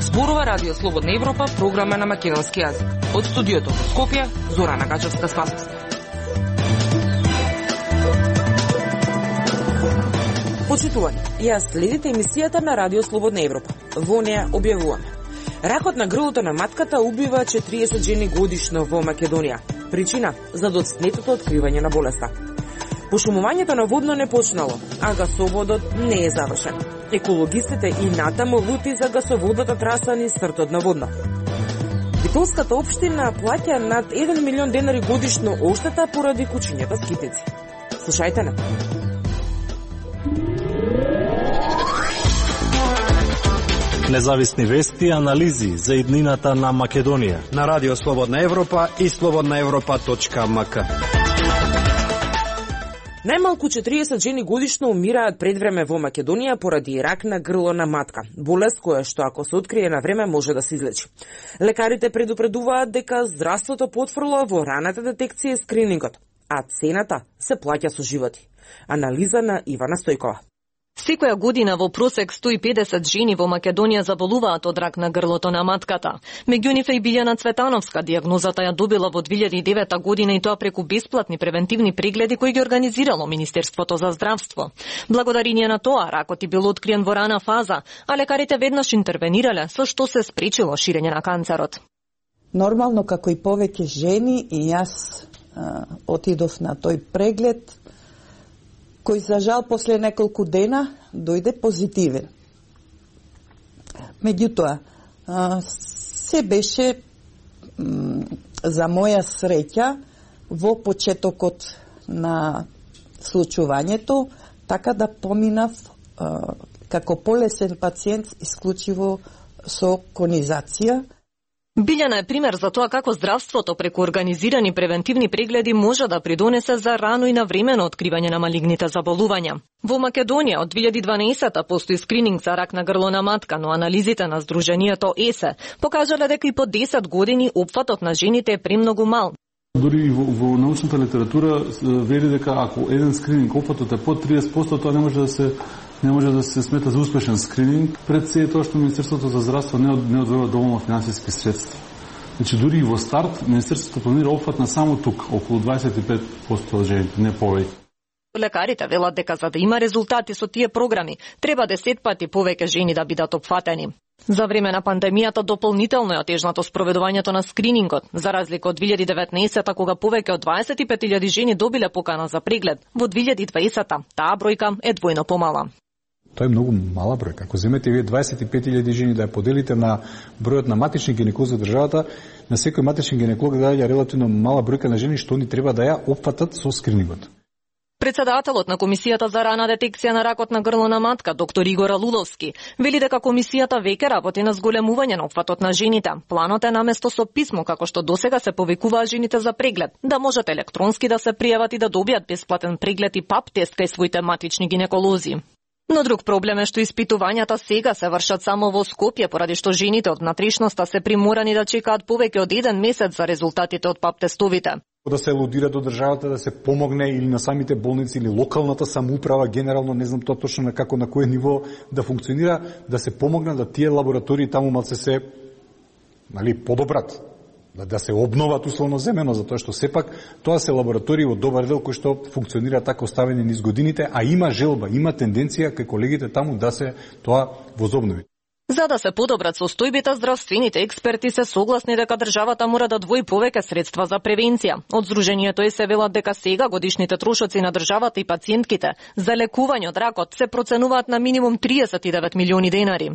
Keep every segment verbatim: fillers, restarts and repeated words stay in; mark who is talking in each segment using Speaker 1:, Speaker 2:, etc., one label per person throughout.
Speaker 1: Зборува Радио Слободна Европа, програма на македонски јазик. Од студиото во Скопје, Зорана Гачевска-Спасовска. Почитувани, јас следите емисијата на Радио Слободна Европа. Во неја објавуваме: ракот на грлото на матката убива четириесет жени годишно во Македонија. Причина за доцнетото откривање на болеста. Пошумувањето на водно не почнало, а гасоводот не е завршен. Екологистите и натаму лути за гасоводната траса низ сртот на водно. Битолската општина плаќа над еден милион денари годишно оштета поради кучињата скитици. Слушајте на.
Speaker 2: Независни вести и анализи за иднината на Македонија
Speaker 3: на Радио Слободна Европа и слободна европа точка ем ка.
Speaker 1: Најмалку четириесет жени годишно умираат пред време во Македонија поради рак на грло на матка, болест која што ако се открие на време може да се излечи. Лекарите предупредуваат дека здравството потврла во раната детекција и скринингот, а цената се плаќа со животи. Анализа на Ивана Стојкова.
Speaker 4: Секоја година во просек сто и педесет жени во Македонија заболуваат од рак на грлото на матката. Меѓу нив е и Билјана Цветановска. Дијагнозата ја добила во две илјади и девета година и тоа преку бесплатни превентивни прегледи кои ги организирало Министерството за здравство. Благодарение на тоа ракот и бил откриен во рана фаза, а лекарите веднаш интервенирале, со што се спречило ширење на канцерот.
Speaker 5: Нормално како и повеќе жени и јас а, отидов на тој преглед, кој за жал после неколку дена дојде позитивен. Меѓутоа, се беше за моја среќа во почетокот на случувањето, така да поминав како полесен пациент исклучиво со конизација.
Speaker 4: Билјана е пример за тоа како здравството преку организирани превентивни прегледи може да придонесе за рано и навремено откривање на малигните заболувања. Во Македонија од две илјади и дванаесета постои скрининг за рак на грло на матка, но анализите на Сдруженијето ЕСЕ покажале дека и по десет години опфатот на жените е премногу мал.
Speaker 6: Дури во, во научната литература вели дека ако еден скрининг опфатот е под триесет проценти, тоа не може да се не може да се смета за успешен скрининг, пред се е тоа што Министерството за здравство не, не одвојува доволно финансиски средства. Значи, дури и во старт, Министерството планира опфат на само тук, околу дваесет и пет проценти од жените, не повеќе.
Speaker 4: Лекарите велат дека за да има резултати со тие програми, треба десет пати повеќе жени да бидат опфатени. За време на пандемијата дополнително е отежнато спроведувањето на скринингот, за разлика од две илјади и деветнаесета, кога повеќе од дваесет и пет илјади жени добиле покана за преглед. Во две илјади и дваесета таа бројка е двојно помала.
Speaker 7: Тоа е многу мала бројка. Ако земете вие дваесет и пет илјади жени да ја поделите на бројот на матични гинеколози во државата, на секој матични гинеколог даја релативно мала бројка на жени што они треба да ја опфатат со скринингот.
Speaker 4: Председателот на Комисијата за рана детекција на ракот на грло на матка, доктор Игор Алуловски, вели дека комисијата веќе работи на зголемување на опфатот на жените. Планот е наместо со писмо, како што досега се повикуваа жените за преглед, да можат електронски да се пријават и да добијат бесплатен преглед и пап тест кај своите матични гинеколози. Но друг проблем е што испитувањата сега се вршат само во Скопје, поради што жените од внатрешноста се приморани да чекаат повеќе од еден месец за резултатите од пап тестовите.
Speaker 7: Да се алудира до државата да се помогне или на самите болници или локалната самоуправа, генерално не знам тоа точно на како на кое ниво да функционира, да се помогне да тие лаборатории таму малце се нали подобрат, да, да се обноват условно земено, затоа што сепак тоа се лаборатории во добар дел кои што функционира така оставени низ годините, а има желба, има тенденција кај колегите таму да се тоа возобнови.
Speaker 4: За да се подобрат состојбите, здравствените експерти се согласни дека државата мора да двои повеќе средства за превенција. Од Сдруженијето е се велат дека сега годишните трошоци на државата и пациентките за лекување од ракот се проценуваат на минимум триесет и девет милиони денари.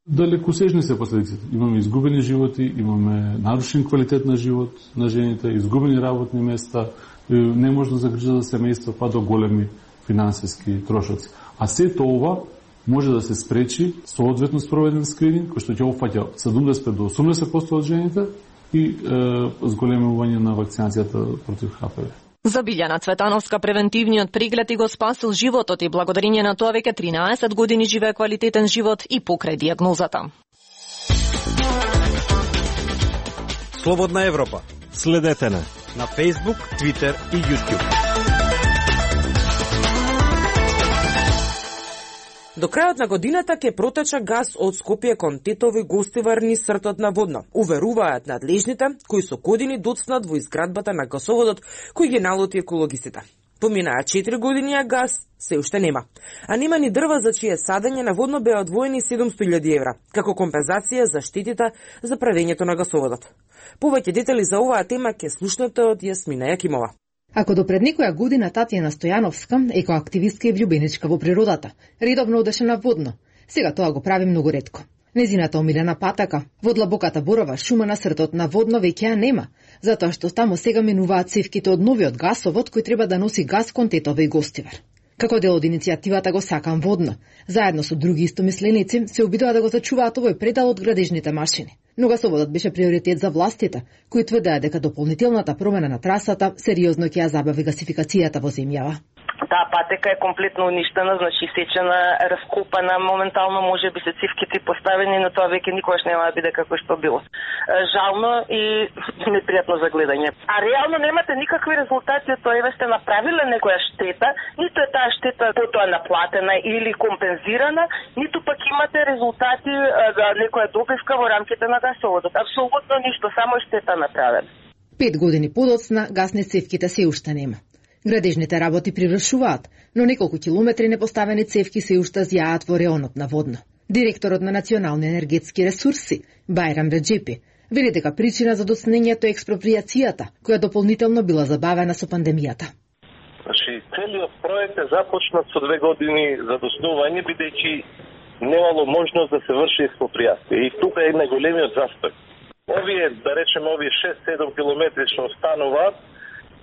Speaker 6: Далекосежни се последиците. Имаме изгубени животи, имаме нарушен квалитет на живот на жените, изгубени работни места, не може да загрижа за семејство, па до големи финансиски трошоци. А сето ова може да се спречи соодветно спроведен скрининг, кој што ќе опфаќа седумдесет до осумдесет проценти од жените и е, зголемување на вакцинацијата против Х П В.
Speaker 4: За Билјана Цветановска превентивниот преглед и го спасил животот и благодарение на тоа веќе тринаесет години живее квалитетен живот и покрај дијагнозата.
Speaker 3: Слободна Европа.
Speaker 2: Следете не
Speaker 3: на Facebook, Twitter и YouTube.
Speaker 1: До крајот на годината ќе протече газ од Скопје кон Тетово и Гостивар низ сртот на Водно, уверуваат надлежните кои со години доцнат во изградбата на гасоводот кој ги налоти екологисите. Поминаа четири години, а газ се уште нема. А нема ни дрва за чие садење на Водно беа одвоени седумсто илјади евра, како компензација за штетите за правењето на гасоводот. Повеќе детали за оваа тема ќе слушнете од Јасмина Јакимова.
Speaker 8: Ако до пред некоја година Татјана Стојановска, екоактивистка и влюбеничка во природата, редовно одеше на Водно, сега тоа го прави многу ретко. Незината омилена патака во длабоката борова шума на сртот на Водно веќе ја нема, затоа што таму сега минуваат цевките од новиот гасовод кој треба да носи газ кон Тетово и Гостивар. Како дел од иницијативата Го сакам Водно, заедно со други истомисленици се обидува да го зачуваат овој предел од градежните машини. Но гасоводот беше приоритет за властите, кои тврдеа дека дополнителната промена на трасата сериозно ќе ја забави гасификацијата во земјава.
Speaker 9: Таа патека е комплетно уништена, значи сечена, раскопана, моментално може би се цивките поставени, но тоа веќе никогаш нема да биде како што било. Жално и непријатно за гледање. А реално немате никакви резултати од тоа, еве сте направиле некоја штета, ниту е таа штета потоа наплатена или компензирана, ниту пак имате резултати за некоја добивка во рамките на гасоводот. Апсолутно ништо, само штета направена.
Speaker 8: Пет години подоцна гасни цевките се уште нема. Градежните работи привршуваат, но неколку километри непоставени цевки се уште зјаат во реонот на Водно. Директорот на Национални енергетски ресурси, Бајрам Реджепи, вели дека причина за доцнењето е експроприацијата, која дополнително била забавена со пандемијата.
Speaker 10: Значи, целиот проект е започнат со две години за доснување, бидејќи немало можност да се врши експроприација. И тука е најголемиот застој. Овие, да речеме, овие шест-седум километри што остануваат,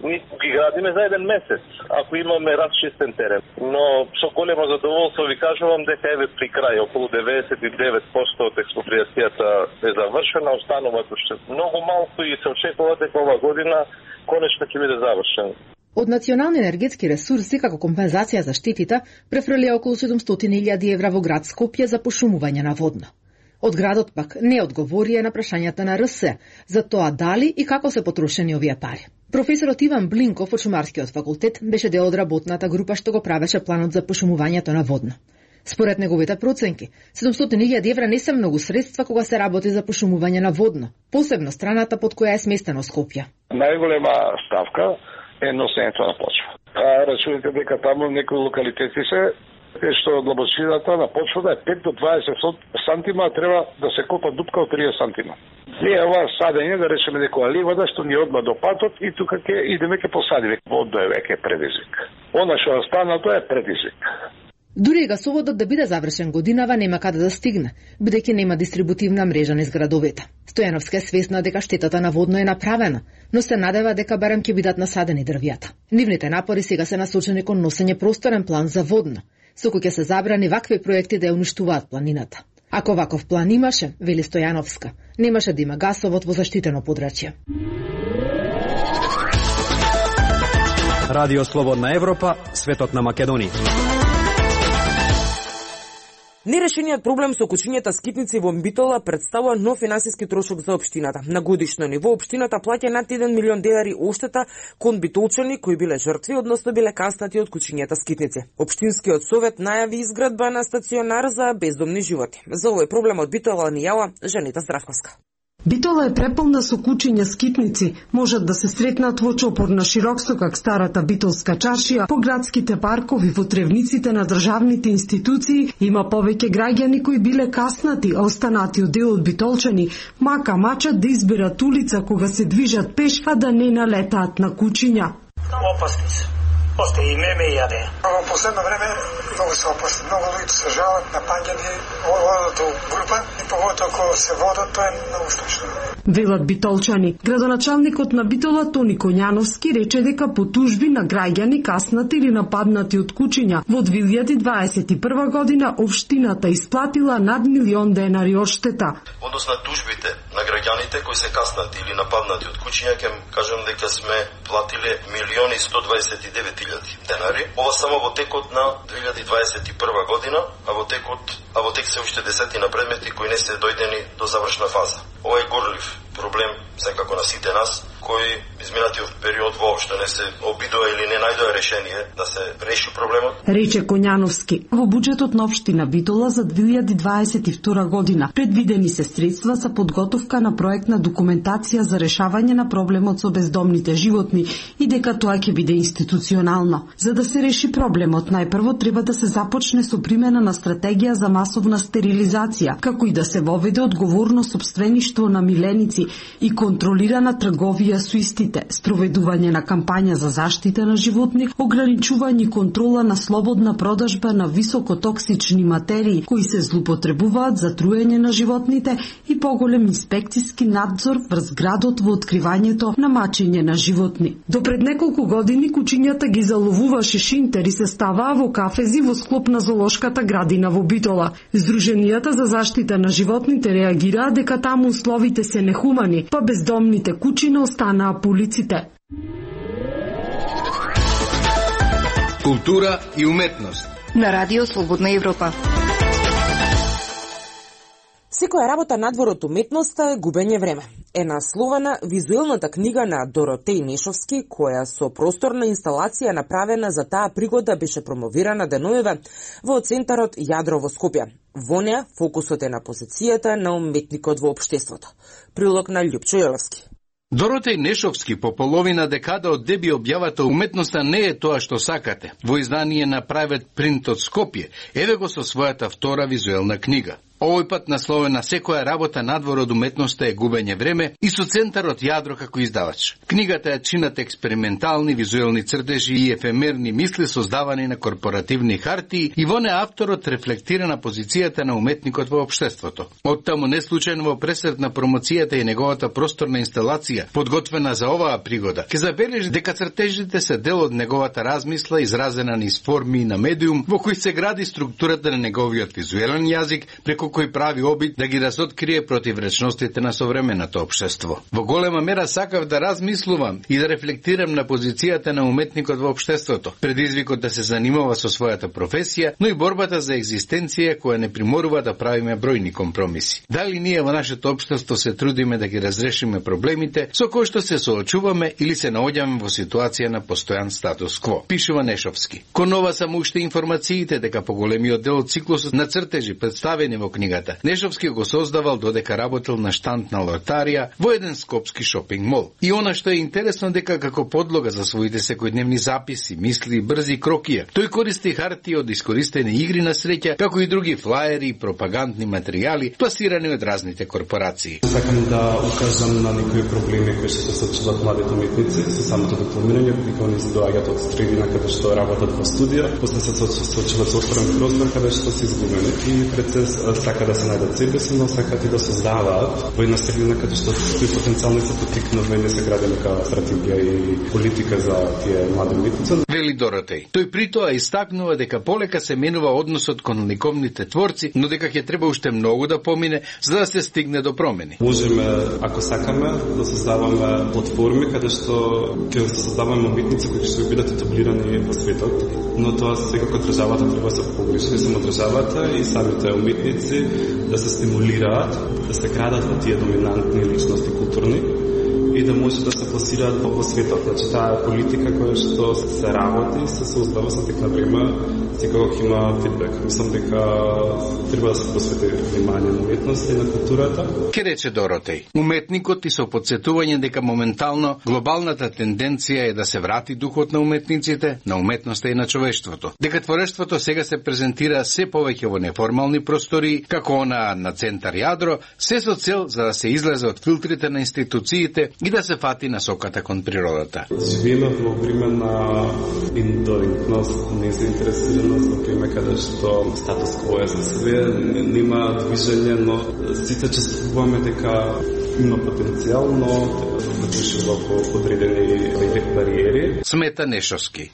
Speaker 10: ние ги градиме за еден месец, ако имаме разчистен терен. Но со големо задоволство ви кажувам дека еве при крај околу деветдесет и девет проценти од експроприацијата е завршена, остануваат уште многу малку и се очекува дека ова година конечно ќе биде завршен.
Speaker 8: Од Национални енергетски ресурси како компензација за штетите префрлија околу седумстотини илјади евра во град Скопје за пошумување на Водно. Од градот пак не одговорија на прашањата на РС за тоа дали и како се потрошени овие пари. Професорот Иван Блинков од Шумарскиот факултет беше дел од работната група што го правеше планот за пошумувањето на Водно. Според неговите проценки, седумстотини илјади евра не се многу средства кога се работи за пошумување на Водно, посебно страната под која е сместено Скопје.
Speaker 11: Најголема ставка е носењето на почва. А рачунете дека таму некои локалитети се што длабочината на почвата е пет до дваесет сантима, треба да се копа дупка од триесет сантима. Ние ова садење, да речеме некоја ливада што ни одма до патот и тука ќе идеме ќе посадиме. Водно е веќе предизвик. Она што останато е предизвик.
Speaker 8: Дури и гасоводот да биде завршен годинава нема каде да стигне, бидејќи нема дистрибутивна мрежа низ градовете. Стојановска е свесна дека штетата на Водно е направена, но се надева дека барем ќе бидат насадени дрвјата. Нивните напори сега се насочени кон носење просторен план за Водно, со кој ќе се забрани вакви проекти да ја уништуваат планината. Ако ваков план имаше, вели Стојановска, немаше да има гасовод во заштитено подрачје.
Speaker 3: Радио Слободна Европа, светот на Македонија.
Speaker 1: Нерешениот проблем со кучињата скитници во Битола представува нов финансиски трошок за општината. На годишно ниво општината плаќа над еден милион денари оштета кон битолчани кои биле жртви, односно биле каснати од кучињата скитници. Општинскиот совет најави изградба на стационар за бездомни животи. За овој проблем од Битола ни јава Жанита Здравковска.
Speaker 12: Битола е преполна со кучиња скитници, можат да се сретнат во чопор на Широкстокак, старата битолска чаршија, по градските паркови, во тревниците на државните институции. Има повеќе граѓани кои биле каснати, а останатиот дел од битолчани мака мачат да изберат улица кога се движат пеш, а да не налетаат на кучиња.
Speaker 13: Опасни се. Осте и меме и јаде. Во последно време многу се опасни. Многу луѓе се жалат на паѓање, одат до група и поготово кога се водат, тоа е многу страшно.
Speaker 12: Велат битолчани. Градоначалникот на Битола Тони Коњановски рече дека по тужби на граѓани каснати или нападнати од кучиња во две илјади дваесет и прва година општината исплатила над милион денари одштета.
Speaker 14: Однос на тужбите на граѓаните кои се каснати или нападнати од кучиња, ќе кажам дека сме платиле милион и сто дваесет и девет илјади денари. Ова само во текот на две илјади дваесет и прва година, а во текот а во тек се уште десетина предмети кои не се дојдени до завршна фаза. Ова е горлив проблем секако на сите нас, кои изминатиот период воопшто не се обидува или не најдоа решение да се реши проблемот.
Speaker 12: Рече Коњановски. Во буџетот на општина Битола за две илјади дваесет и втора година предвидени се средства за подготовка на проектна документација за решавање на проблемот со бездомните животни и дека тоа ќе биде институционално. За да се реши проблемот, најпрво треба да се започне со примена на стратегија за масовна стерилизација, како и да се воведе одговорно сопствеништво на миленици и контролирана трговија со истите, спроведување на кампања за заштита на животни, ограничување и контрола на слободна продажба на високотоксични материи кои се злоупотребуваат за труење на животните и поголем инспекциски надзор врз градот во откривањето на мачење на животни. До пред неколку години кучињата ги заловуваше шинтер и се ставаа во кафези во склоп на зоолошката градина во Битола. Здруженијата за заштита на животните реагираа дека таму условите се нехумани, па бездомните кучиња останаа по улиците.
Speaker 15: Култура и уметност
Speaker 16: на Радио Слободна Европа.
Speaker 1: Секоја работа надвор од уметноста е губење време. Е насловена визуелната книга на Доротеј Нешовски, која со просторна инсталација направена за таа пригода беше промовирана деновиве во центарот Јадро во Скопје. Во неа фокусот е на позицијата на уметникот во општеството. Прилог на Љупчо Јолевски.
Speaker 15: Доротеј Нешовски по половина декада од деби објавата уметноста не е тоа што сакате. Во издание на Private Print од Скопје, еве го со својата втора визуелна книга. Овој пат насловена секоја работа надвор од уметноста е губење време и со центарот Јадро како издавач. Книгата ја чинат експериментални визуелни цртежи и ефемерни мисли создавани на корпоративни хартии и во неа авторот рефлектира на позицијата на уметникот во општеството. Оттаму не случајно во пресред на промоцијата и неговата просторна инсталација, подготвена за оваа пригода, ќе забележи дека цртежите се дел од неговата размисла изразена низ форми на медиум во кој се гради структурата на неговиот визуелен јазик, преку кој прави обид да ги разоткрие противречностите на современото општество. Во голема мера сакав да размислувам и да рефлектирам на позицијата на уметникот во општеството, предизвикот да се занимава со својата професија, но и борбата за екзистенција која не приморува да правиме бројни компромиси. Дали ние во нашето општество се трудиме да ги разрешиме проблемите со кои што се соочуваме или се наоѓаме во ситуација на постојан статус кво, пишува Нешовски. Кон ова само уште информациите дека поголемиот дел од циклусот на цртежи представени во книгата Нешовски го создавал додека работел на штанд на лотарија во еден скопски шопинг мол. И она што е интересно дека како подлога за своите секојдневни записи, мисли и брзи крокија, тој користи хартии од искористени игри на среќа, како и други флаери и пропагандни материјали пласирани од разните корпорации.
Speaker 17: Сакам да укажам на некои проблеми кои што се соочуваат младите уметници со самото дипломирање, дека они се доаѓаат од средина каде што работат во студија, после се соочуваат со отворен простор каде што се изгубени и пред се сака да се најдат себе си, но сакат и да создаваат во една средина каде што кои потенцијални се потикнување се гради нека стратегија и политика за тие млади уметници.
Speaker 15: Вели Доротеј. Тој при тоа истакнува дека полека се менува односот кон ликовните творци, но дека ќе треба уште многу да помине за да се стигне до промени.
Speaker 17: Можеме, ако сакаме, да создаваме платформи каде што ќе создаваме уметници кои ќе бидат етаблирани во светот, но тоа секако државата треба да се погрижи, не само државата и самите уметници да се стимулираат, да се градат во тие доминантни личности културни и да може да се пласираат во светот. Значи, таа политика која што се работи, се создава со тек на време, секако ќе има фидбек. Мислам дека треба да се посвети внимание на уметноста и на културата.
Speaker 15: Ке рече Доротеј, уметникот и со подсетување дека моментално глобалната тенденција е да се врати духот на уметниците, на уметноста и на човештвото. Дека творештвото сега се презентира се повеќе во неформални простори, како она на центар Јадро, се со цел за да се излезе од филтрите на институциите и да се фати насоката кон природата.
Speaker 17: Живееме во време на индолентност, незаинтересираност, во време каде што статус кво е за све, нема движење, но сите чувствуваме дека има потенцијал, но да движи во подредени бариери.
Speaker 15: Смета Нешовски.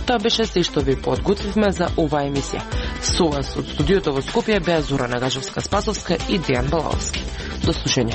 Speaker 1: Тоа беше се што ви подготвивме за оваа емисија. Со вас од студиото во Скопје беа Зора Нагажевска-Спасовска и Дејан Балаовски. До слушање.